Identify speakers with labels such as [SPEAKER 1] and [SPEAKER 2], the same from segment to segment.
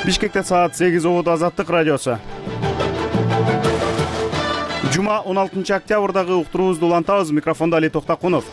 [SPEAKER 1] Бишкекте саат 8 болот. Азаттык радиосу. Жума 16 октябрдагы уктуруубузду улантабыз. Микрофондо Али Токтакунов.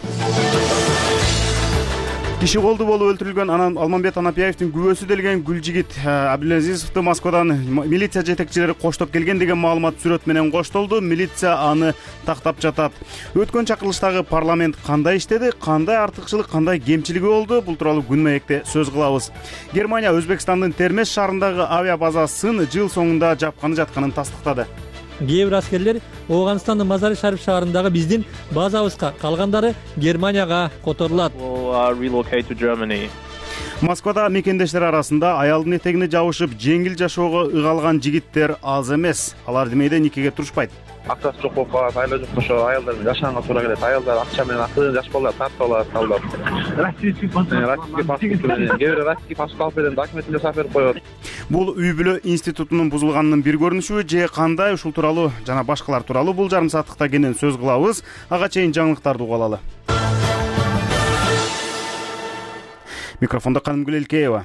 [SPEAKER 1] Киши колду болуп өлтүрүлгөн Алмамбет Анапияевдин күбөсү делген Гүлжигит Абилазизовду Москвадан милиция жетекчилери коштоп келген деген маалымат сүрөт менен коштолду. Милиция аны тактап жатат. Өткөн чакырылыштагы парламент кандай иштеди, кандай артыкчылык, кандай кемчилиги болду? Бул тууралуу күн маекте сөз кылабыз. Германия Өзбекстандын Термеш шаарындагы авиа базасын жыл соңунда жапканы жатканын тастыктады.
[SPEAKER 2] Кээ бир аскерлер Ооганстандын Мазари Шариф шаарындагы биздин базабызга, калгандары Германияга которулат.
[SPEAKER 1] Москвада мекендештер арасында аялдын этегине жабышып жеңил жашоого ыгалган жигиттер аз эмес. Алар демейде никеге турушпайт.
[SPEAKER 3] Акчасы жок болуп калат, айлы жок ошо аялдар жашаганга туура келет. Аялдар акча менен акча жаш балдар тартып алат, алдап. Российский паспорт менен, кээ бир российский паспорт менен документин жасап берип коет.
[SPEAKER 1] Бул үй бүлө институтунун бузулганынын бир көрүнүшү же кандай? Ушул тууралуу жана башкалар тууралуу бул жарым сааттыкта кенен сөз кылабыз. Ага чейин жаңылыктарды угуп алалы. Микрофондо Канымгүл Элкеева.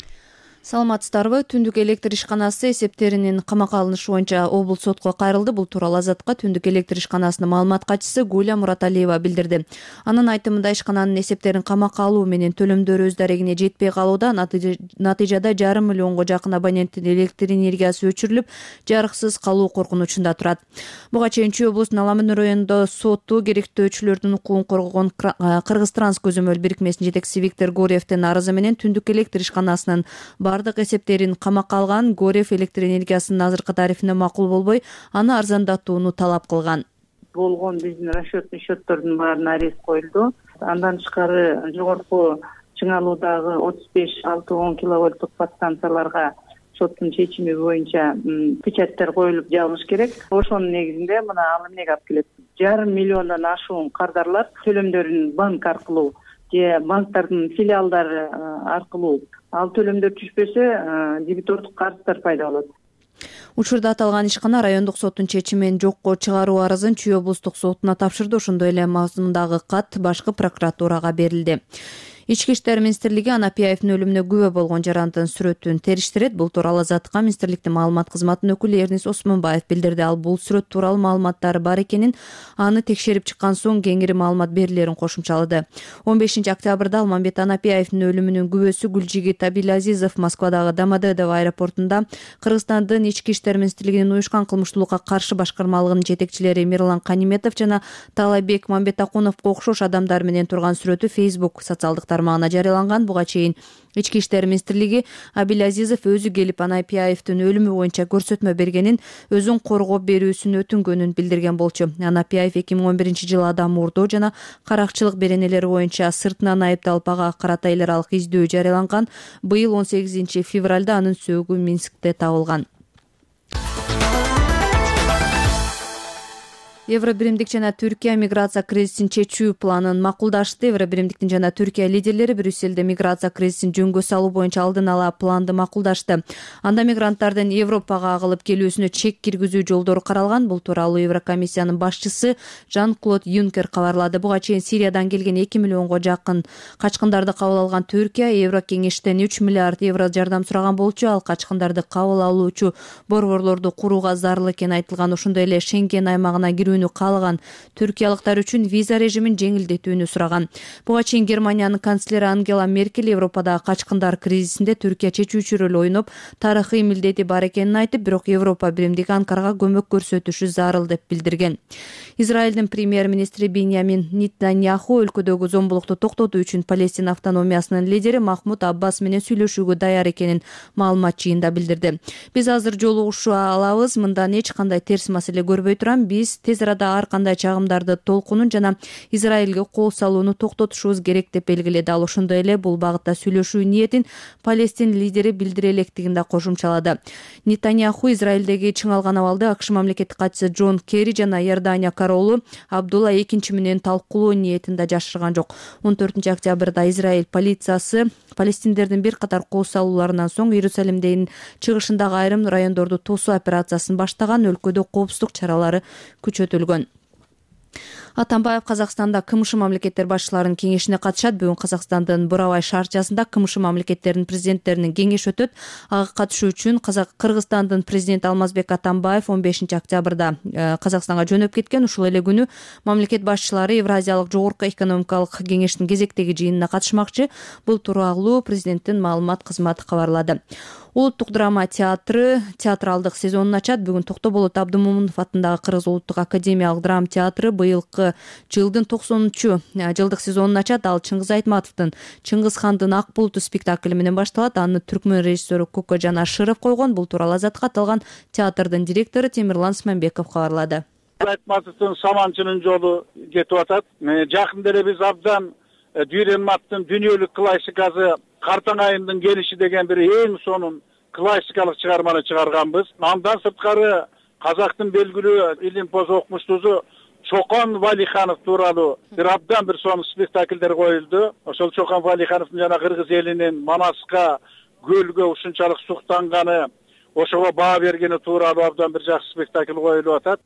[SPEAKER 4] Саламатсыздарбы? Түндүк электр ишканасы эсептеринин камакка алынышы боюнча облус сотко кайрылды. Бул тууралуу Азаттыкка Түндүк электр ишканасынын маалымат катчысы Гуля Мураталиева билдирди. Анын айтымында ишкананын эсептерин камакка алуу менен төлөмдөр өз дарегине жетпей калууда. Натыйжада 5,5 миллионго жакын абоненттин электр энергиясы өчүрүлүп, жарыксыз калуу коркунучунда турат. Буга чейин Чүй облусунун Аламын районунда соту керектөөчүлөрдүн укугун коргогон Кыргыз-Транс көзөмөл бирикмесинин жетекчиси Виктор Горевдин арызы менен Түндүк электр ишканасынын бардык эсептерин камакка алган. Горев электр энергиясынын азыркы тарифине макул болбой, аны арзандатууну талап кылган.
[SPEAKER 5] Болгон биздин расчетный счеттордун баарына арест коюлду. Андан тышкары жогорку чыңалуудагы 35-6-10 киловольттук подстанцияларга соттун чечими боюнча печаттар коюлуп жабылыш керек. Ошонун негизинде мына ал эмнеге алып келет? 1,5 миллиондон ашуун кардарлар төлөмдөрүн банк аркылуу же банктардын филиалдары аркылуу ал төлөмдөр түшпөсө дебитордук карыздар пайда болот.
[SPEAKER 4] Учурда аталган ишкана райондук соттун чечимин жокко чыгаруу арызын Чүй облустук сотуна тапшырды. Ошондой эле мазмундагы кат башкы прокуратурага берилди. Ички иштер министрлиги Анапияевдин өлүмүнө күбө болгон жарандын сүрөтүн териштирет. Бул тууралуу Азаттыкка министрликтин маалымат кызматынын өкүлү Эрнис Осмонбаев билдирди. Ал бул сүрөт тууралуу маалыматтары бар экенин, аны текшерип чыккан соң кеңири маалымат берилерин кошумчалады. 15 октябрда Алмамбет Анапияевдин өлүмүнүн күбөсү Гүлжигит Абилазизов Москвадагы Домодедово аэропортунда Кыргызстандын ички иштер министрлигинин уюшкан кылмыштуулукка каршы башкармалыгынын жетекчилери Мирлан Каниметов жана Талайбек Мамбетакуновго окшош адамдар менен турган сүрөтү Facebook социалдык тармагына жарыяланган. Буга чейин Ички иштер министрлиги Абилазизов өзү келип Анапияевдин өлүмү боюнча көрсөтмө бергенин, өзүн коргоп берүүсүн өтүнгөнүн билдирген болчу. Анапияев 2011-жылы адам уурдоо жана каракчылык беренелери боюнча сыртынан айыпталып ага карата эл аралык издөө жарыяланган. Быйыл 18 февралда анын сөөгү Минскте табылган. Евробиримдик жана Түркия миграция кризисин чечүү планын макулдашты. Евробиримдиктин жана Түркия лидерлери Брюсселде миграция кризисин жөнгө салуу боюнча алдын ала планды макулдашты. Анда мигранттардын Европага агылып келүүсүнө чек киргизүү жолдору каралган. Бул тууралуу Еврокомиссиянын башчысы Жан-Клод Юнкер кабарлады. Буга чейин Сириядан келген 2 миллионго жакын качкындарды кабыл алган Түркия Еврокеңештен 3 миллиард евро жардам сураган болчу. Ал качкындарды кабыл алуучу борборлорду курууга зарыл экени айтылган. Ошондой эле Шенген аймагына каалаган түркиялыктар үчүн виза режимин жеңилдетүүнү сураган. Буга чейин Германиянын канцлери Ангела Меркель Европадагы качкындар кризисинде Түркия чечүүчү роль ойноп, тарыхый милдети бар экенин айтып, бирок Европа биримдиги Анкарага көмөк көрсөтүшү зарыл деп билдирген. Израилдин премьер-министри Биньямин Нетаньяху өлкөдөгү зомбулукту токтотуу үчүн Палестина автономиясынын лидери Махмуд Аббас менен сүйлөшүүгө даяр экенин маалымат жыйында билдирди. Биз азыр жолугушуа алабыз, мындан эч кандай терс маселе көрбөй турам. Биз тез арада ар кандай чагымдарды толкунун жана Израилге кол салууну токтотушубуз керек деп белгиледи. Ал ошондой эле бул багытта сүйлөшүү ниетин Палестин лидери билдире электигин да кошумчалады. Нетаньяху Израилдеги чыңалган абалды АКШ мамлекеттик катчысы Джон Керри жана Иордания королу Абдулла II менен талкуулоо ниетин да жашырган жок. 14 октябрда Израиль полициясы палестиндердин бир катар кол салууларынан соң Иерусалимдин чыгышындагы айрым райондорду тосуу операциясын баштаган. Өлкөдө коопсуздук чаралары күчөтүлгөн. Атамбаев Казакстанда КМШ мамлекеттер башчыларынын кеңешине катышат. Бүгүн Казакстандын Бурабай шаарчасында КМШ мамлекеттеринин президенттеринин кеңеши өтөт. Ага катышуу үчүн Кыргызстандын президенти Алмазбек Атамбаев 15 октябрда Казакстанга жөнөп кеткен. Ушул эле күнү мамлекет башчылары Евразиялык жогорку экономикалык кеңештин кезектеги жыйынына катышмакчы. Бул тууралуу президенттин маалымат кызматы кабарлады. Улуттук драма театры театралдык сезонун ачат. Бүгүн Токтоболот Абдымомунов атындагы Кыргыз улуттук академиялык драма театры быйылкы жылдын 90-жылдык сезонун ачат. Ал Чыңгыз Айтматовдун Чыңгыз хандын Ак булуту спектакли менен башталат. Аны түркмөн режиссеру Кокожан Ашыров койгон. Бул тууралуу Азаттыкка аталган театрдын директору Темирлан Сманбеков кабарлады.
[SPEAKER 6] Айтматовдун Саманчынын жолу кетип атат. Жакында эле биз абдан Дүйренматтын дүйнөлүк классикасы Картаң айындын келиши деген бир эң сонун классикалык чыгарманы чыгарганбыз. Андан сырткары казактын белгилүү илимпоз окумуштусу Чокон Валиханов тууралуу бир абдан бир сонун спектакльдер коюлду. Ошол Чокон Валихановдун жана кыргыз элинин Манаска көлгө ушунчалык суктанганы, ошого баа бергени тууралуу абдан бир жакшы спектакль коюлуп атат.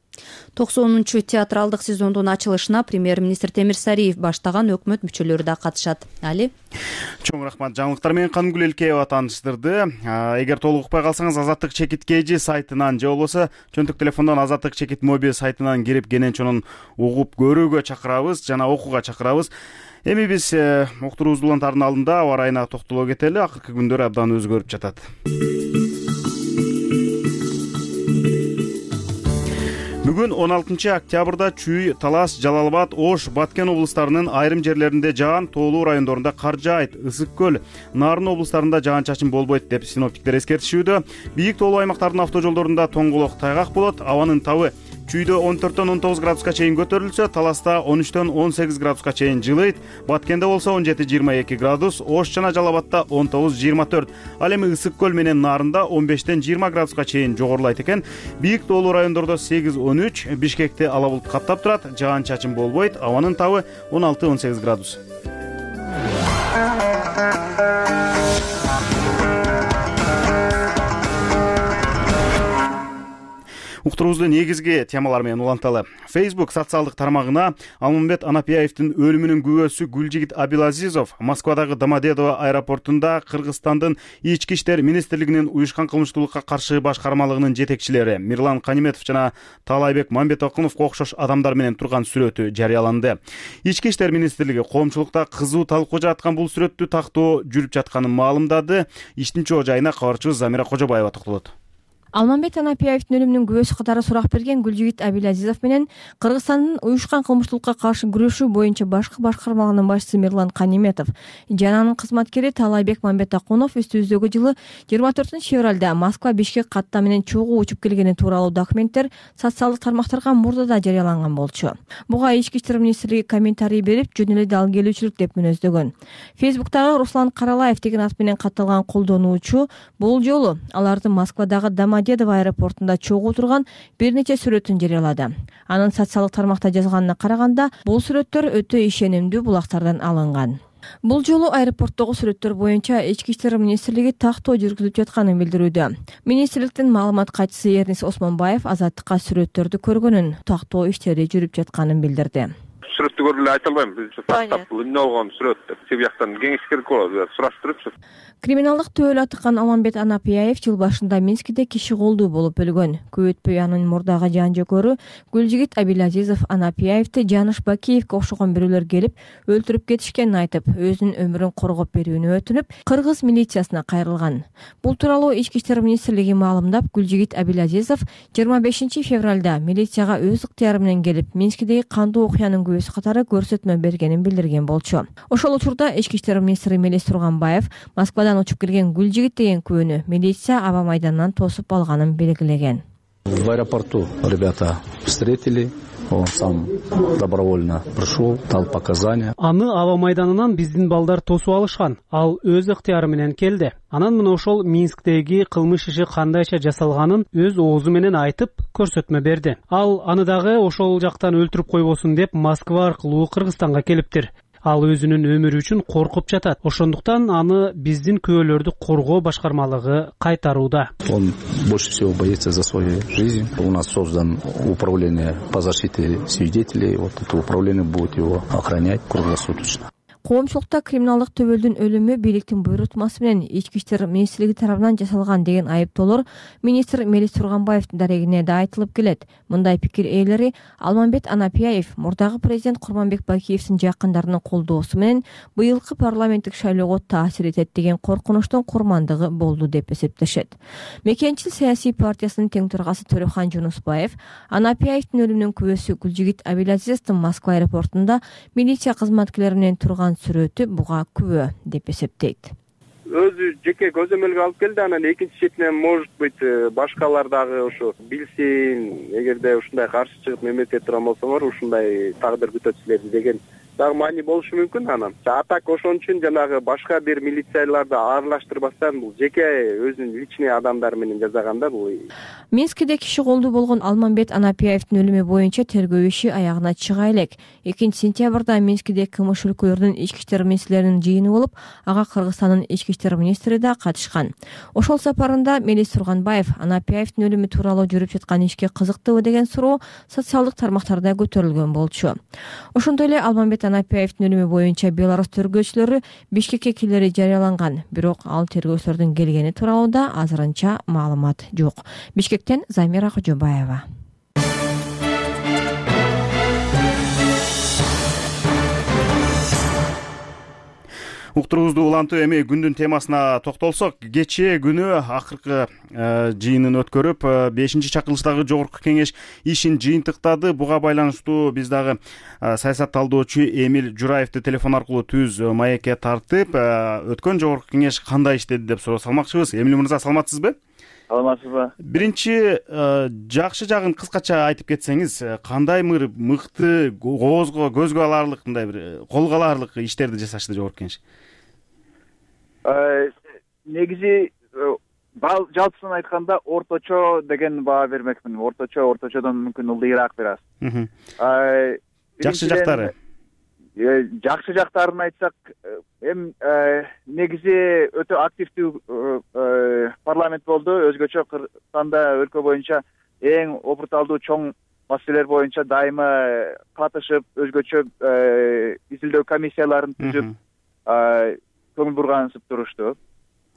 [SPEAKER 4] 90 театралдык сезондун ачылышына премьер-министр Темир Сариев баштаган өкмөт мүчөлөрү да катышат. Али
[SPEAKER 1] чоң рахмат. Жаңылыктар менен Канымгүл Элкеева тааныштырды. Эгер толук укпай калсаңыз Азаттык чекит KG сайтынан же болбосо чөнтүк телефондон Азаттык чекит мобиль сайтынан кирип кенен угуп көрүүгө чакырабыз жана окууга чакырабыз. Эми биз уктуруубуз улантардын алдында аба ырайына токтоло кетели. Акыркы күндөр абдан өзгөрүп жатат. Бүгүн 16 октябрда Чүй, Талас, Жалал-Абад, Ош, Баткен облустарынын айрым жерлеринде жаан, тоолуу райондорунда кар жаайт. Ысык көл, Нарын облустарында жаан-чачын болбойт деп синоптиктер эскертишүүдө. Бийик тоолуу аймактардын автожолдорунда тоңголок тайгак болот. Абанын табы Чүйдө 14-19 градуска чейин көтөрүлсө, Таласта 13-18 градуска чейин жылыйт. Баткенде болсо 17-22 градус, Ош жана Жалал-Абадта 19-24. Ал эми Ысык көл менен Нарында 15-20 градуска чейин жогорулайт экен. Бийик тоолуу райондордо 8-13, Бишкекти ала булут каптап турат, жаан-чачын болбойт. Абанын табы 16-18 градус. Уктуруубузду негизги темалар менен уланталы. Facebook социалдык тармагына Алмамбет Анапияевдин өлүмүнүн күбөсү Гүлжигит Абилазизов Москвадагы Домодедово аэропортунда Кыргызстандын Ички иштер министрлигинин уюшкан кылмыштуулукка каршы башкармалыгынын жетекчилери Мирлан Каниметов жана Таалайбек Мамбетокуновго окшош адамдар менен турган сүрөтү жарыяланды. Ички иштер министрлиги коомчулукта кызуу талкуу жараткан бул сүрөттү тактоо жүрүп жатканын маалымдады. Иштин чоо жайына кабарчыбыз Замира Кожобаева токтолот.
[SPEAKER 7] Алмамбет Анапияевдин өлүмүнүн күбөсү катары сурак берген Гүлжигит Абилазизов менен Кыргызстандын уюшкан кылмыштуулукка каршы күрөшүү боюнча башкы башкармалыгынын башчысы Мирлан Каниметов жана анын кызматкери Таалайбек Мамбетокунов үстүбүздөгү жылы 24-февралда Москва Бишкек катта менен чогуу учуп келгени тууралуу документтер социалдык тармактарга мурдада жарыяланган болчу. Буга Ички иштер министрлиги комментарий берип, жөн эле далгелүүчүлүк деп мүнөздөгөн. Фейсбуктагы Руслан Каралаев деген ат менен катталган колдонуучу бул жолу алардын Москвадагы Домодедово аэропортунда чогуу турган бир нече сүрөтүн жарыялады. Анын социалдык тармакта жазганына караганда, бул сүрөттөр өтө ишенимдүү булактардан алынган. Бул жолу аэропорттогу сүрөттөр боюнча Ички иштер министрлиги тактоо жүргүзүп жатканын билдирүүдө. Министрликтин маалымат катчысы Эрнис Осмонбаев Азаттыкка сүрөттөрдү көргөнүн, тактоо иштери жүрүп жатканын билдирди.
[SPEAKER 3] Сүрөттү көрүп эле айта албайм. Биз тактап бул эмне болгон сүрөт деп себеп жактан кеңеш керек болот, сураштырыпчы.
[SPEAKER 7] Криминалдык төөлө атыккан Алмамбет Анапияев жыл башында Минскиде киши колдуу болуп өлгөн. Көп өтпөй анын мурдагы жан жөкөрү Гүлжигит Абилазизов Анапияевди Жаныш Бакиевге окшогон бирөөлөр келип өлтүрүп кетишкенин айтып, өзүнүн өмүрүн коргоп берүүнү өтүнүп, кыргыз милициясына кайрылган. Бул тууралуу Ички иштер министрлиги маалымдап, Гүлжигит Абилазизов 25 февралда милицияга өз ыктыяры менен келип, Минскидеги кандуу окуянын күбөсү катары көрсөтмө бергенин билдирген болчу. Ошол учурда Ички иштер министри Мелис Турганбаев Москвадан учуп келген Гүлжигит деген күбөнү милиция аба майданынан тосуп алганын белгилеген.
[SPEAKER 8] В аэропорту ребята встретили, он сам добровольно пришел, дал показания.
[SPEAKER 9] Аны аба майданынан биздин балдар тосуп алышкан. Ал өз ыктыяры менен келди. Анан мына ошол Минсктеги кылмыш иши кандайча жасалганын өз оозу менен айтып, көрсөтмө берди. Ал аны дагы ошол жактан өлтүрүп койбосун деп Москва аркылуу Кыргызстанга келиптир. Ал өзүнүн өмүрү үчүн коркуп жатат. Ошондуктан аны биздин күбөлөрдү коргоо башкармалыгы кайтарууда.
[SPEAKER 8] Он больше всего боится за свою жизнь. У нас создан управление по защите свидетелей. Вот это управление будет его охранять круглосуточно.
[SPEAKER 7] Коомчулукта криминалдык төбөлдүн өлүмү бийликтин буйрутмасы менен Ички иштер министрлиги тарабынан жасалган деген айыптоолор министр Мелис Турганбаевдин дарегине да айтылып келет. Мындай пикир ээлери Алмамбет Анапияев мурдагы президент Курманбек Бакиевдин жакындарынын колдоосу менен быйылкы парламенттик шайлоого таасир этет деген коркунучтун курмандыгы болду деп эсептешет. Мекенчил саясий партиясынын тең төрагасы Төлөкхан Жунусбаев Анапияевдин өлүмүнүн күбөсү Гүлжигит Абилазизовдун Москва аэропортунда милиция кызматкерлери менен турган сүрөтү буга күбө деп эсептейт.
[SPEAKER 10] Өзү жеке көзөмөлгө алып келди, анан экинчи четинен может быть башкалар дагы ошо билсин, эгерде ушундай каршы чыгып мемлекет турган болсоңор ушундай тагдыр күтөт силерди деген дагы маани болушу мүмкүн. Анан а так ошон үчүн жанагы башка бир милицияларды аралаштырбастан бул жеке өзүнүн личный адамдары менен жасаганда бул.
[SPEAKER 7] Минскиде киши колдуу болгон Алмамбет Анапияевдин өлүмү боюнча тергөө иши аягына чыга элек. 2-сентябрда Минскиде КМШ өлкөлөрүнүн ички иштер министрлеринин жыйыны болуп, ага Кыргызстандын ички иштер министри да катышкан. Ошол сапарында Мелис Турганбаев Анапияевдин өлүмү тууралуу жүрүп жаткан ишке кызыктыбы деген суроо социалдык тармактарда көтөрүлгөн болчу. Ошондой эле Алмамбет Анапияевдин өлүмү боюнча Беларусь тергөөчүлөрү Бишкекке келери жарыяланган, бирок ал тергөөчүлөрдүн келгени тууралуу да азырынча маалымат жок. Бишкектен Замира Кожобаева.
[SPEAKER 1] Уктуруубузду улантып эми күндүн темасына токтолсок, кечээ күнү акыркы жыйынын өткөрүп, 5-чакырылыштагы жогорку кеңеш ишин жыйынтыктады. Буга байланыштуу биз дагы саясат талдоочу Эмил Жураевди телефон аркылуу түз маекке тартып, өткөн жогорку кеңеш кандай иштеди деп суроо салмакчыбыз. Эмил мырза, саламатсызбы?
[SPEAKER 11] Саламатсызбы?
[SPEAKER 1] Биринчи жакшы жагын кыскача айтып кетсеңиз, кандай мыкты көзгө аларлык, мындай бир колго аларлык иштерди жасашты жогорку кеңеш?
[SPEAKER 11] Негизи жалпысын айтканда орточо деген баа бермекмин. Орточодон мүмкүн ылдыйраак бир аз.
[SPEAKER 1] Жакшы жактары?
[SPEAKER 11] Жакшы жактарын айтсак, негизи өтө активдүү парламент болду. Өзгөчө Кыргызстанда өлкө боюнча эң опурталдуу чоң маселелер боюнча дайыма катышып, өзгөчө изилдөө комиссияларын түзүп, көңүл бургансып турушту.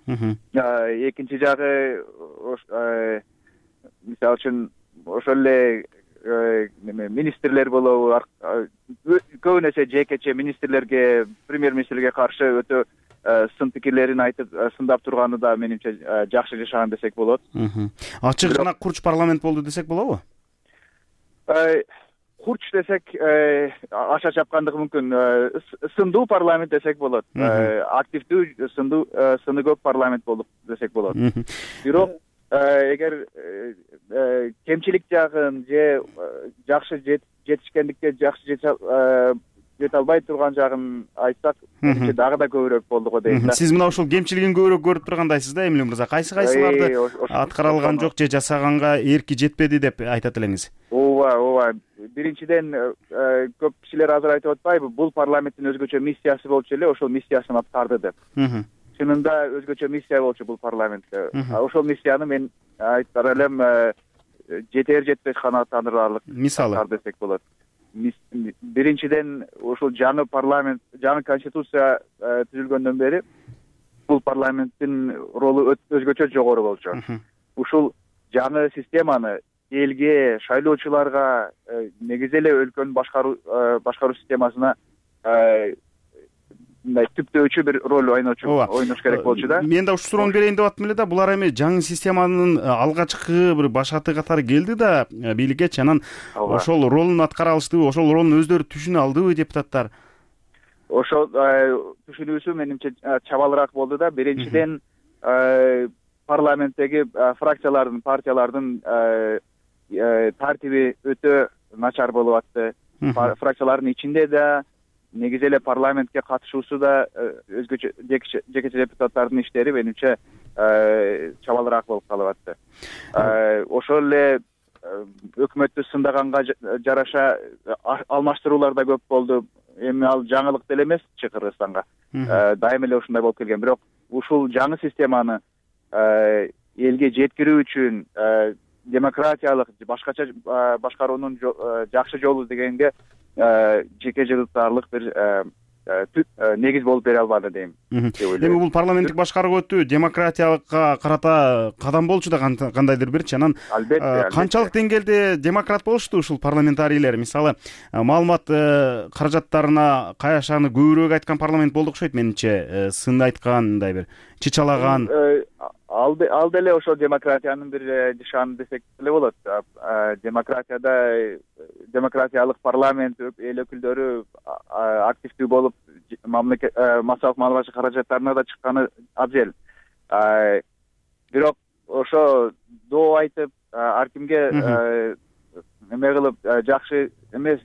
[SPEAKER 11] Экинчи жагы, мисалы үчүн ошол эле министрлер болобу, көбүн эсе жекече министрлерге, премьер-министрге каршы өтө сын пикирлерин айтып, сындап турганы да менимче жакшы жашаган десек болот.
[SPEAKER 1] Ачык жана курч парламент болду десек болобу?
[SPEAKER 11] Курч десек аша чапкандыгы мүмкүн. Сындуу парламент десек болот. Активдүү, сыны көп парламент болду десек болот. Бирок эгер кемчилик жагын же жакшы жетишкендикке жакшы жете албай турган жагын айтсак, менимче дагы да көбүрөөк болду го дейм да.
[SPEAKER 1] Сиз мына ушул кемчилигин көбүрөөк көрүп тургандайсыз да, Эмил мырза. Кайсыларды аткарылган жок же жасаганга эрки жетпеди деп айтат элеңиз?
[SPEAKER 11] Ооба. Биринчиден көп кишилер азыр айтып атпайбы, бул парламенттин өзгөчө миссиясы болчу эле, ошол миссиясын аткарды деп. Чынында өзгөчө миссия болчу бул парламентте. Ошол миссияны мен айтар элем жетер жетпеш канааттандырарлык аткарды десек болот. Биринчиден ушул жаңы парламент, жаңы конституция түзүлгөндөн бери бул парламенттин ролу өзгөчө жогору болчу. Ушул жаңы системаны элге, шайлоочуларга, негизи эле өлкөнүн башкаруу системасына мындай түптөөчү бир роль ойнош керек болчу да.
[SPEAKER 1] Мен да ушул суроону берейин деп аттым эле да. Булар эми жаңы системанын алгачкы бир башаты катары келди да бийликке, анан ошол ролун аткара алыштыбы, ошол ролун өздөрү түшүнө алдыбы депутаттар?
[SPEAKER 11] Ошол түшүнүүсү менимче чабалыраак болду да. Биринчиден парламенттеги фракциялардын, партиялардын тартиби өтө начар болуп атты. Фракциялардын ичинде да, негизи эле парламентке катышуусу да өзгөчө жекече депутаттардын иштери менимче чабалыраак болуп калып атты. Ошол эле өкмөттү сындаганга жараша алмаштыруулар да көп болду. эми ал жаңылык деле эмесчи Кыргызстанга. Дайыма эле ушундай болуп келген. Бирок ушул жаңы системаны элге жеткирүү үчүн демократиялык башкача башкаруунун жакшы жолу дегенге жеке жыгылтаарлык бир негиз болуп бере албады дейм.
[SPEAKER 1] Эми бул парламенттик башкаруу өтүү демократиялыкка карата кадам болчу да кандайдыр бирчи. Анан канчалык деңгээлде демократ болушту ушул парламентарийлер? Мисалы, маалымат каражаттарына каяшаны көбүрөөк айткан парламент болду окшойт менимче. Сын айткан, мындай бир чычалаган.
[SPEAKER 11] Ал деле ошо демократиянын бир нышаны десек деле болот. Демократиялык парламент эл өкүлдөрү активдүү болуп мамлекет массалык маалымат каражаттарына да чыкканы абзел. Бирок ошо доо айтып ар кимге эме кылып жакшы эмес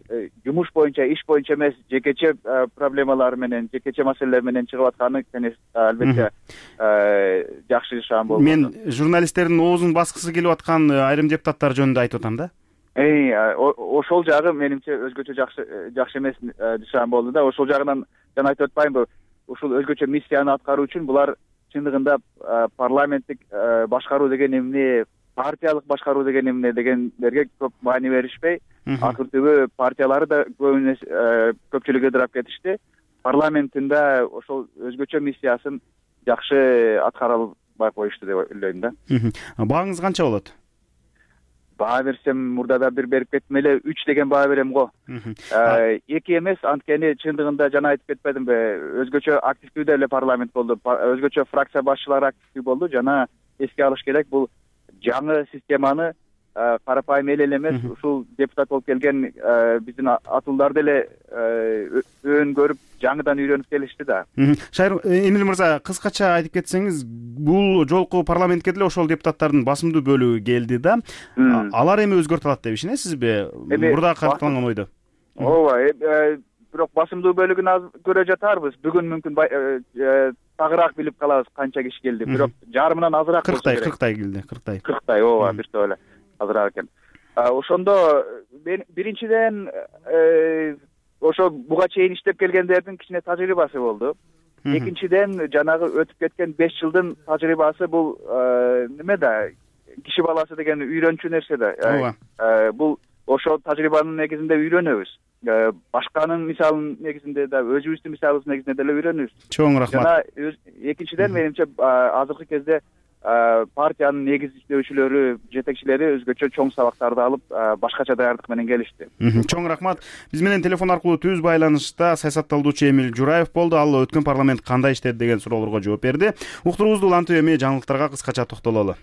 [SPEAKER 11] жумуш боюнча, иш боюнча эмес, жекече проблемалар менен, жекече маселелер менен чыгып атканы албетте жакшы нышан болду.
[SPEAKER 1] Мен журналисттердин оозун баскысы келип аткан айрым депутаттар жөнүндө айтып атам да.
[SPEAKER 11] Ошол жагы менимче өзгөчө жакшы эмес нышан болду да. Ошол жагынан жана айтып атпаймынбы, ушул өзгөчө миссияны аткаруу үчүн булар чындыгында парламенттик башкаруу деген эмне, партиялык башкаруу деген эмне дегендерге көп маани беришпей, акыр түбү партиялары да көпчүлүгү ыдырап кетишти. Парламенттинде ошол өзгөчө миссиясын жакшы аткара албай коюшту деп ойлойм да.
[SPEAKER 1] Бааңыз канча болот?
[SPEAKER 11] Баа берсем, мурдада бир берип кеттим эле, 3 деген баа берем го. 2 эмес, анткени чындыгында жана айтып кетпедимби, өзгөчө активдүү деле парламент болду, өзгөчө фракция башчылары активдүү болду. Жана эске алыш керек, бул жаңы системаны карапайым эл эле эмес, ушул депутат болуп келген биздин атуулдар деле өөн көрүп, жаңыдан үйрөнүп келишти да.
[SPEAKER 1] Шайыр Эмил мырза, кыскача айтып кетсеңиз, бул жолку парламентке деле ошол депутаттардын басымдуу бөлүгү келди да. Алар эми өзгөртүп алат деп ишенесизби? Мурда катталган ойдо.
[SPEAKER 11] Ооба, бирок басымдуу бөлүгүн аз көрө жатарбыз. Бүгүн мүмкүн тагыраак билип калабыз канча киши келди. Бирок жарымынан азыраак болсо керек.
[SPEAKER 1] 40 келди, 40.
[SPEAKER 11] 40, ооба, биртип эле азыраак экен. Ошондо биринчиден ошо буга чейин иштеп келгендердин кичине тажрыйбасы болду. Экинчиден жанагы өтүп кеткен 5 жылдын тажрыйбасы бул неме да, киши баласы деген үйрөнчү нерсе да. Бул ошол тажрыйбанын негизинде үйрөнөбүз. Башканын мисалынын негизинде да, өзүбүздүн мисалыбыздын негизинде деле үйрөнөбүз.
[SPEAKER 1] Чоң рахмат.
[SPEAKER 11] Жана экинчиден менимче азыркы кезде партиянын негиздөөчүлөрү, жетекчилери өзгөчө чоң сабактарды алып, башкача даярдык менен келишти.
[SPEAKER 1] Чоң рахмат. Биз менен телефон аркылуу түз байланышта саясатталуучу Эмил Жураев болду. Ал өткөн парламент кандай иштеди деген суроолорго жооп берди. Уктуруубузду улантып эми жаңылыктарга кыскача токтололу.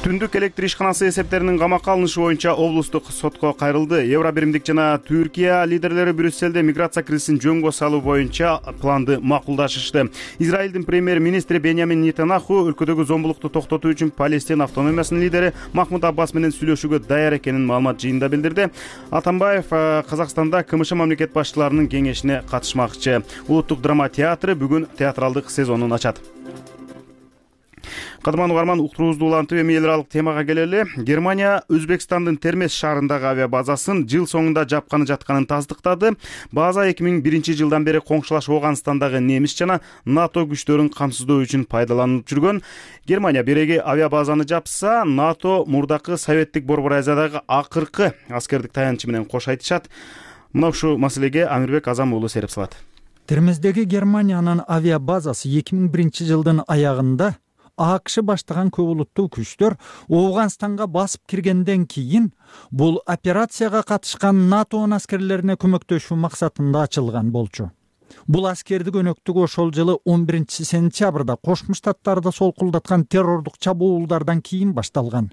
[SPEAKER 1] Түндүк электр ишканасы эсептеринин камакка алынышы боюнча облустук сотко кайрылды. Евробиримдик жана Түркия лидерлери Брюсселде миграция кризисин жөнгө салуу боюнча планды макулдашышты. Израилдин премьер-министри Беньямин Нетаньяху өлкөдөгү зомбулукту токтотуу үчүн Палестин автономиясынын лидери Махмуд Аббас менен сүйлөшүүгө даяр экенин маалымат жыйында билдирди. Атамбаев Казакстанда КМШ мамлекет башчыларынын кеңешине катышмакчы. Улуттук драма театры бүгүн театралдык сезонун ачат. Кадырман угарман, уктуруубузду улантып эми эл аралык темага келели. Германия Өзбекстандын Термез шаарындагы авиабазасын жыл соңунда жапканы жатканын тасдыктады. База 2001 жылдан бери коңшулаш Ооганстандагы немис жана НАТО күчтөрүн камсыздоо үчүн пайдаланылып жүргөн. Германия биреги авиабазаны жапса, НАТО мурдакы Советтик Борбор Азиядагы акыркы аскердик таянычы менен кош айтышат. Мына ушул маселеге Амирбек Азам уулу сереп салат.
[SPEAKER 12] Термездеги Германиянын авиабазасы 2001 жылдын аягында АКШ баштаган көп улуттуу күчтөр Ооганстанга басып киргенден кийин бул операцияга катышкан НАТОнун аскерлерине көмөктөшүү максатында ачылган болчу. Бул аскердик өнөктүк ошол жылы 11 сентябрда Кошмо Штаттарды солкулдаткан террордук чабуулдардан кийин башталган.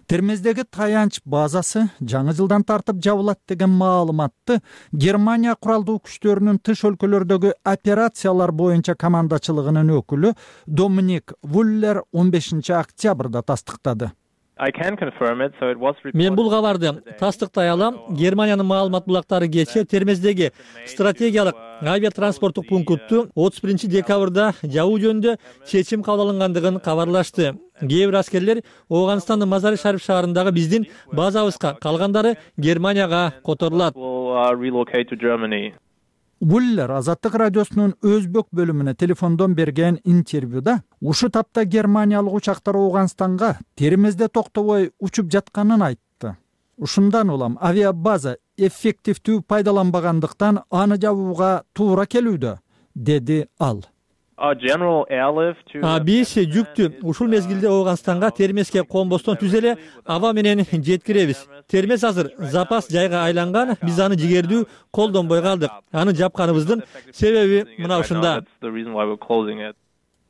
[SPEAKER 12] Термездеги таянч базасы жаңы жылдан тартып жабылат деген маалыматты Германия куралдуу күчтөрүнүн тыш өлкөлөрдөгү операциялар боюнча командачылыгынын өкүлү Доминик Вуллер 15 октябрда тастыктады.
[SPEAKER 2] Мен бул кабарды тастыктай алам. Германиянын маалымат булактары кечээ Термездеги стратегиялык авиатранспорттук пунктту 31 декабрда жабуу жөнүндө чечим кабыл алынгандыгын кабарлашты. Кээ бир аскерлер Ооганстандын Мазари-Шариф шаарындагы биздин базабызга, калгандары Германияга которулат.
[SPEAKER 12] Буллер Азаттык радиосунун өзбек бөлүмүнө телефондон берген интервьюда ушу тапта германиялык учактар Ооганстанга Термезде токтобой учуп жатканын айтты. Ушундан улам авиабаза эффективдүү пайдаланбагандыктан аны жабууга туура келүүдө, деди ал.
[SPEAKER 2] Биз жүктү ушул мезгилде Ооганстанга Термезге конбостон түз эле аба менен жеткиребиз. Термез азыр запас жайга айланган, биз аны жигердүү колдонбой калдык. Аны жапканыбыздын себеби мына ушунда.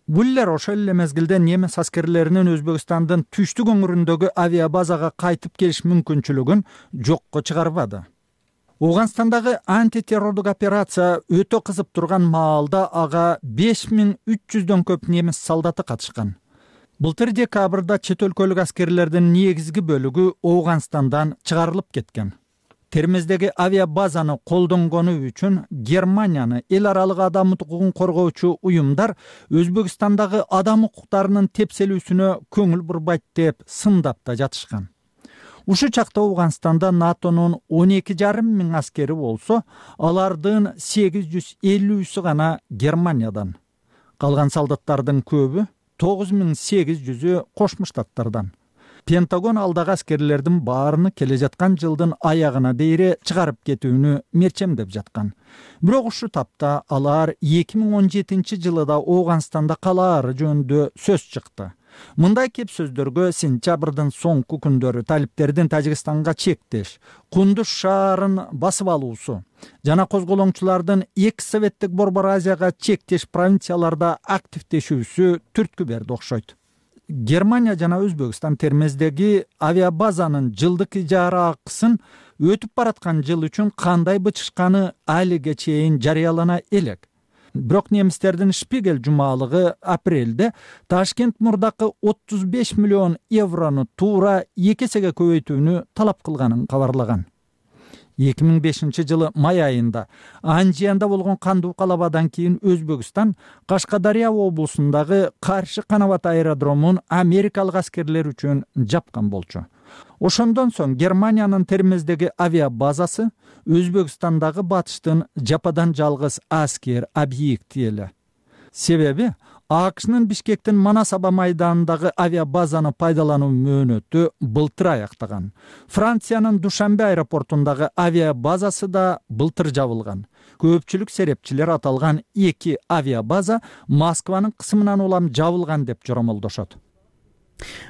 [SPEAKER 12] Буллер ошол эле мезгилде немис аскерлеринин Өзбекстандын түштүк өңүрүндөгү авиабазага кайтып келиш мүмкүнчүлүгүн жокко чыгарбады. Ооганстандагы антитеррордук операция өтө кызып турган маалда ага 5300дөн көп немис солдаты катышкан. Былтыр декабрда чет өлкөлүк аскерлердин негизги бөлүгү Ооганстандан чыгарылып кеткен. Термездеги авиабазаны колдонгону үчүн Германияны эл аралык адам укугун коргоочу уюмдар Өзбекстандагы адам укуктарынын тепселүүсүнө көңүл бурбайт деп сындап да жатышкан. Ушу чакта Ооганстанда НАТОнун 12,5 миң аскери болсо, алардын 850 гана Германиядан. Калган солдаттардын көбү 9800 Кошмо Штаттардан. Пентагон алдагы аскерлердин баарыны келе жаткан жылдын аягына дейре чыгарып кетүүнү мерчемдеп жаткан. Бирок ушу тапта алар 2017 жылы да Ооганстанда калаары жөнүндө сөз чыкты. Мындай кеп сөздөргө сентябрдын соңку күндөрү талиптердин Тажикстанга чектеш, Кундуз шаарын басып алуусу жана козголоңчулардын экс-советтик Борбор Азияга чектеш провинцияларда активдешүүсү түрткү берди окшойт. Германия жана Өзбекстан Термездеги авиабазанын жылдык ижара акысын өтүп бараткан жыл үчүн кандай бычышканы алиге чейин жарыялана элек. Бирок немистердин Шпигель жумалыгы апрелде Ташкент мурдакы 35 миллион еврону туура 2 эсеге көбөйтүүнү талап кылганын кабарлаган. 2005 жылы май айында Анжиянда болгон кандуу калабадан кийин Өзбекстан Кашкадария облусундагы Каршы Канабат аэродромун америкалык аскерлер үчүн жапкан болчу. Ошондон соң Германиянын Термездеги авиабазасы Өзбекстандагы батыштын жападан жалгыз аскер объекти эле. Себеби АКШнын Бишкектин Манасаба майданындагы авиабазаны пайдалануу мөөнөтү былтыр аяктаган. Франциянын Душанбе аэропортундагы авиабазасы да былтыр жабылган. Көпчүлүк серепчилер аталган 2 авиабаза Москванын кысымынан улам жабылган деп жоромолдошот.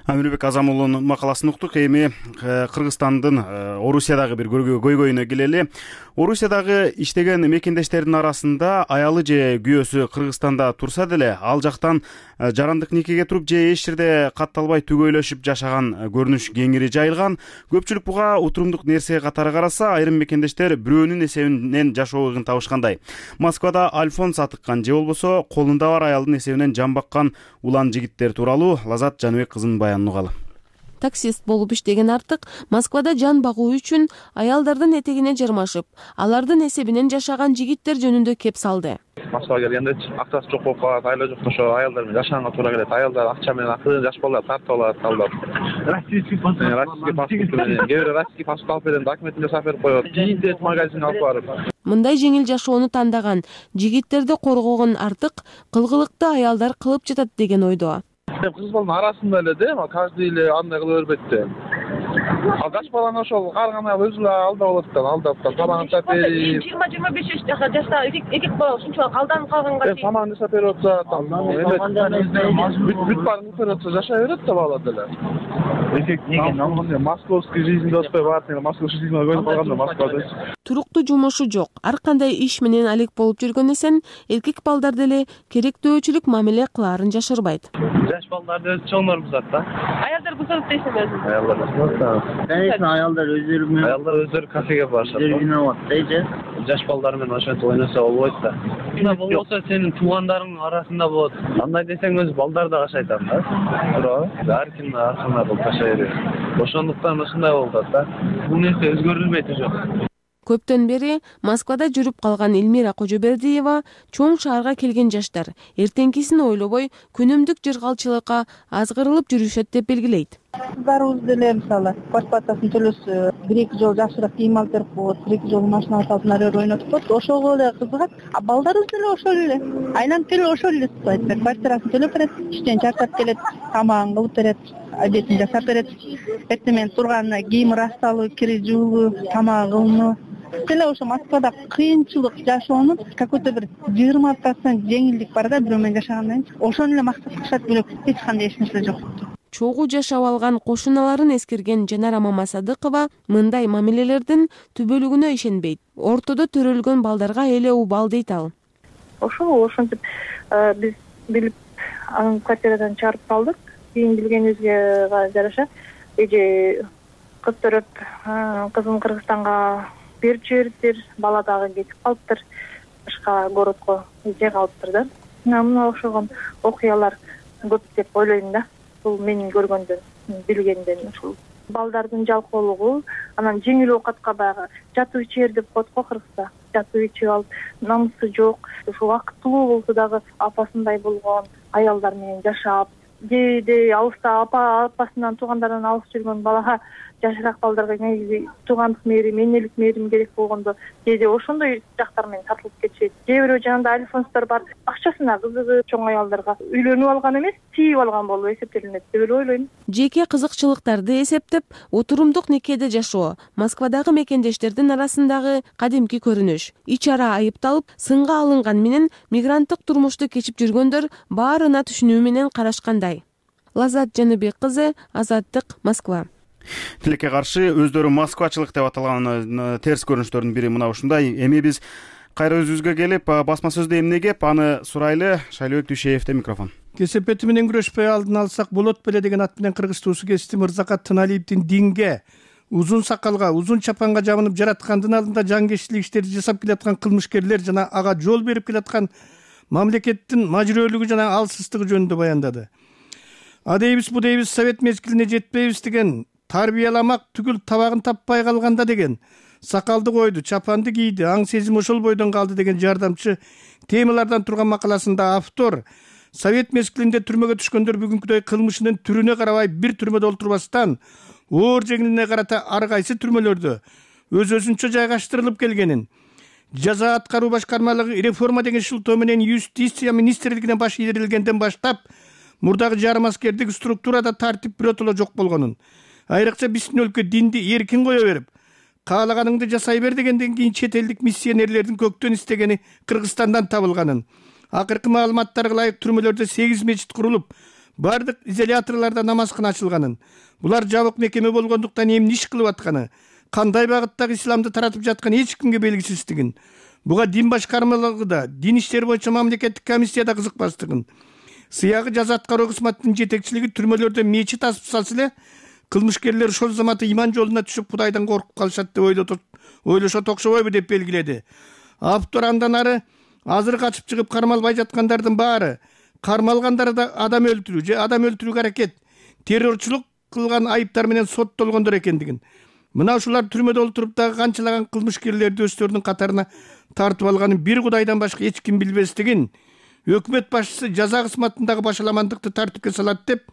[SPEAKER 1] Амирбек Азамулунун макаласын уктук. Эми Кыргызстандын Орусиядагы бир көйгөйүнө келели. Орусиядагы иштеген мекендештердин арасында аялы же күйөөсү Кыргызстанда турса деле, ал жактан жарандык никеге туруп же эч жерде катталбай түгөйлөшүп жашаган көрүнүш кеңири жайылган. Көпчүлүк буга утурумдук нерсе катары караса, айрым мекендештер бирөөнүн эсебинен жашоого табышкандай. Москвада альфонс атыккан же болбосо колунда бар аялдын эсебинен жан баккан улан жигиттер тууралуу Лазат Жаныбек кызынын баянын угалы.
[SPEAKER 13] Таксист болуп иштеген Артык Москвада жан багуу үчүн аялдардын этегине жармашып, алардын эсебинен жашаган жигиттер жөнүндө кеп салды.
[SPEAKER 3] Москвага келгенде акчасы жок болуп калат, айло жок ошо аялдар менен жашаганга туура келет. Аялдар акча менен акырын жаш балдар тартып алат, алдап. Российский паспорт менен, кээ бирөө российский паспорт алып берген, документин жасап берип коет. Кийин магазинге алып барып.
[SPEAKER 13] Мындай жеңил жашоону тандаган жигиттерди коргогон Артык кылгылыкты аялдар кылып жатат деген ойдо.
[SPEAKER 3] Кыз баланын арасында эле да, каждый эле андай кыла бербейт да. Ал жаш баланы ошол карган аял өзү эле алдап алат да, алдап тамагын жасап берип. 20-25 жаштагы эки бала ушунчалык алданып калганга чейин тамагын жасап берип атса, бүт баарын көрүп атса жашай берет да бала деле. Московский жизнь деп атпай барат, московский жизнь көрүп калганда Москвада.
[SPEAKER 13] Туруктуу жумушу жок. Ар кандай иш менен алек болуп жүргөн эсен, эркек балдар деле керектөөчүлүк мамиле кылаарын жашырбайт.
[SPEAKER 14] Жаш балдарды чоңдор бузат да.
[SPEAKER 15] Аялдар
[SPEAKER 14] кусат дейсиң өзүң?
[SPEAKER 15] Аялдар өздөрү кафеге барышат. Дейчи. Жаш балдар менен ошентип ойносо болбойт да. Мына болбосо сенин туугандарыңдын арасында болот. Андай десең өзү балдар да кашайтат да. Туурабы? Ар ким аркана кылып кашай берет. Ошондуктан ушундай болуп атат да. Бул нерсе өзгөрүлбөйт уже.
[SPEAKER 13] Көптөн бери Москвада жүрүп калган Элмира Кожобердиева чоң шаарга келген жаштар эртеңкисин ойлобой күнүмдүк жыргалчылыкка азгырылып жүрүшөт деп белгилейт.
[SPEAKER 16] Кыздарыбыз деле мисалы квартплатасын төлөсө 1-2 жол жакшыраак кийим алып берип коет, 1-2 жол машина салып нарер ойнотуп коет, ошого эле кызыгат. А балдарыбыз деле ошол эле. Айланып келип ошол эле айтат. Квартирасын төлөп берет, иштен чарчап келет, тамагын кылып берет, обедин жасап берет. Эртең менен турганда кийими ырасталуу, кири жуулуу, тамагы кылынуу. Деле ошо Москвада кыйынчылык жашоонун какой-то бир 20% жеңилдик бар да, бирөө менен жашагандан кийин. Ошону эле максат кылышат, бөлөк эч кандай эч нерсе жок.
[SPEAKER 13] Чогуу жашап алган кошуналарын эскерген Жанара Мамасадыкова мындай мамилелердин түбөлүгүнө ишенбейт. Ортодо төрөлгөн балдарга эле убал дейт ал.
[SPEAKER 17] Ошентип биз билип анын квартирадан чыгарып салдык. Кийин билгенибизге жараша эже кыз төрөп кызын Кыргызстанга берип жибериптир, бала дагы кетип калыптыр, башка городко эже калыптыр да. Мына окшогон окуялар көп деп ойлойм да. Бул менин көргөндөн, билгенден ушул балдардын жалкоолугу, анан жеңил оокатка баягы жатып ичер деп коет го кыргызда. Жатып ичип алып, намысы жок, ушу убакыттуу болсо дагы апасындай болгон аялдар менен жашап, кээде алыста апасынан туугандарынан алыс жүргөн балага жашыраак балдарга негизи туугандык мээрим, энелик мээрим керек болгондо кээде ошондой жактар менен тартылып кетишет. Кээ бирөө жанында альфонстор бар, акчасына кызыгып чоң аялдарга үйлөнүп алган эмес, тийип алган болуп эсептелинет деп эле ойлойм.
[SPEAKER 13] Жеке кызыкчылыктарды эсептеп, отурумдук никеде жашоо Москвадагы мекендештердин арасындагы кадимки көрүнүш. Ич ара айыпталып, сынга алынган менен мигранттык турмушту кечип жүргөндөр баарына түшүнүү менен карашкандай. Лазат Жаныбек кызы, Азаттык, Москва.
[SPEAKER 1] Тилекке каршы өздөрү москвачылык деп аталган терс көрүнүштөрдүн бири мына ушундай. Эми биз кайра өзүбүзгө келип, басма сөздө эмне кеп, аны сурайлы. Шайлыбек Дүйшеевде микрофон.
[SPEAKER 18] Кесепети менен күрөшпөй алдын алсак болот беле деген ат менен Кыргыз туусу кести Мырзакат Тыналиевдин динге, узун сакалга, узун чапанга жабынып жараткандын алдында жангечтилик иштерди жасап келаткан кылмышкерлер жана ага жол берип келаткан мамлекеттин мажүрөлүгү жана алсыздыгы жөнүндө баяндады. А дейбиз, бу дейбиз, совет мезгилине жетпейбиз деген, тарбияламак түгүл табагын таппай калганда деген, сакалды койду, чапанды кийди, аң сезим ошол бойдон калды деген жардамчы темалардан турган макаласында автор совет мезгилинде түрмөгө түшкөндөр бүгүнкүдөй кылмышынын түрүнө карабай бир түрмөдө олтурбастан, оор жеңилине карата ар кайсы түрмөлөрдө өз-өзүнчө жайгаштырылып келгенин, жаза аткаруу башкармалыгы реформа деген шылтоо менен юстиция министрлигине баш ийдирилгенден баштап мурдагы жарым аскердик структурада тартип биротоло жок болгонун, айрыкча биздин өлкө динди эркин кое берип, каалаганыңды жасай бер дегенден кийин чет элдик миссионерлердин көктөн истегени Кыргызстандан табылганын, акыркы маалыматтарга ылайык түрмөлөрдө 8 мечит курулуп, бардык изоляторлордо намазкана ачылганын, булар жабык мекеме болгондуктан эмне иш кылып атканы, кандай багыттагы исламды таратып жатканы эч кимге белгисиздигин, буга дин башкармалыгыда, дин иштери боюнча мамлекеттик комиссияда кызыкпастыгын, сыягы жаза аткаруу кызматынын жетекчилиги түрмөлөрдө мечит асып салса эле кылмышкерлер ошол заматы иман жолуна түшүп Кудайдан коркуп калышат деп ойлошот окшобойбу деп белгиледи. Автор андан ары азыр качып чыгып кармалбай жаткандардын баары кармалгандар да адам өлтүрүү же адам өлтүрүүгө аракет, террорчулук кылган айыптар менен соттолгондор экендигин, мына ушулар түрмөдө олтуруп дагы канчалаган кылмышкерлерди өздөрүнүн катарына тартып алганын бир Кудайдан башка эч ким билбестигин, өкмөт башчысы жаза кызматындагы башаламандыкты тартипке салат деп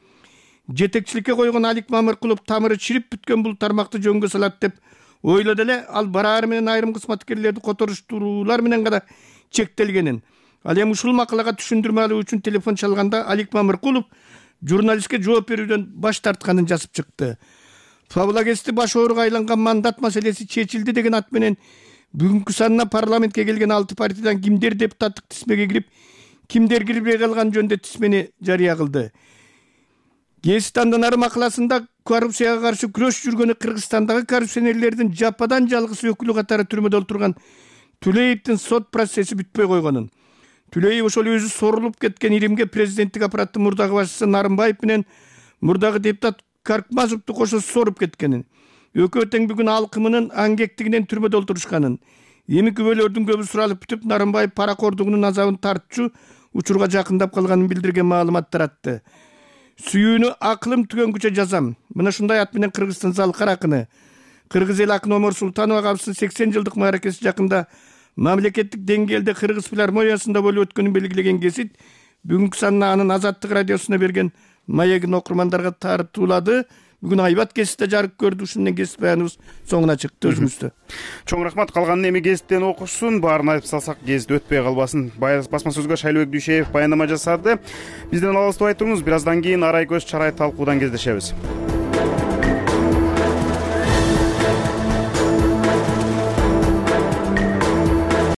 [SPEAKER 18] жетекчиликке койгон Алик Мамыркулов тамыры чирип бүткөн бул тармакты жөнгө салат деп ойлоду эле, ал бараары менен айрым кызматкерлерди которуштуруулар менен гана чектелгенин. Ал эми ушул макалага түшүндүрмө алуу үчүн телефон чалганда Алик Мамыркулов журналистке жооп берүүдөн баш тартканын жазып чыкты. Фабулагести баш ооруга айланган мандат маселеси чечилди деген ат менен бүгүнкү санына парламентке келген 6 партиядан кимдер депутаттык тизмеге кирип, кимдер кирбей калган жөнүндө тизмени жарыя кылды. Гезит андан ары макаласында коррупцияга каршы күрөш жүргөнү Кыргызстандагы коррупционерлердин жападан жалгыз өкүлү катары түрмөдө олтурган Түлеевдин сот процесси бүтпөй койгонун, Түлеев ошол өзү сорулуп кеткен Иримге президенттик аппараттын мурдагы башчысы Нарымбаев менен мурдагы депутат Каркмазовду кошо соруп кеткенин, Өкө тең бүгүн алкымынын аңгектигинен түрмөдө олтурушканын, эми күбөлөрдүн көбү суралып бүтүп Нарымбаев паракордугунун азабын тартчу учурга жакындап калганын билдирген маалымат таратты. Сүйүүнү акылым түгөнгүчө жазам. Мына ушундай ат менен Кыргызстан залкар акыны, кыргыз эл акыны Омар Султанова абысынын 80 жылдык мааракеси жакында мамлекеттик деңгээлде Кыргыз филармониясында болуп өткөнүн белгилеген кесит бүгүнкү санына анын Азаттык радиосуна берген маегин окурмандарга тартуулады. Бүгүн Айбат кесипте жарык көрдү. Ушун менен кесип баяныбыз соңуна чыкты. Өзүңүздө
[SPEAKER 1] чоң рахмат. Калганын эми гезиттен окушсун. Баарын айтып салсак, гезит өтпөй калбасын. Басма сөзгө Шайлыбек Дүйшеев баяндама жасады. Бизден алыстабай туруңуз. Бир аздан кийин арай көз чарай талкуудан кездешебиз.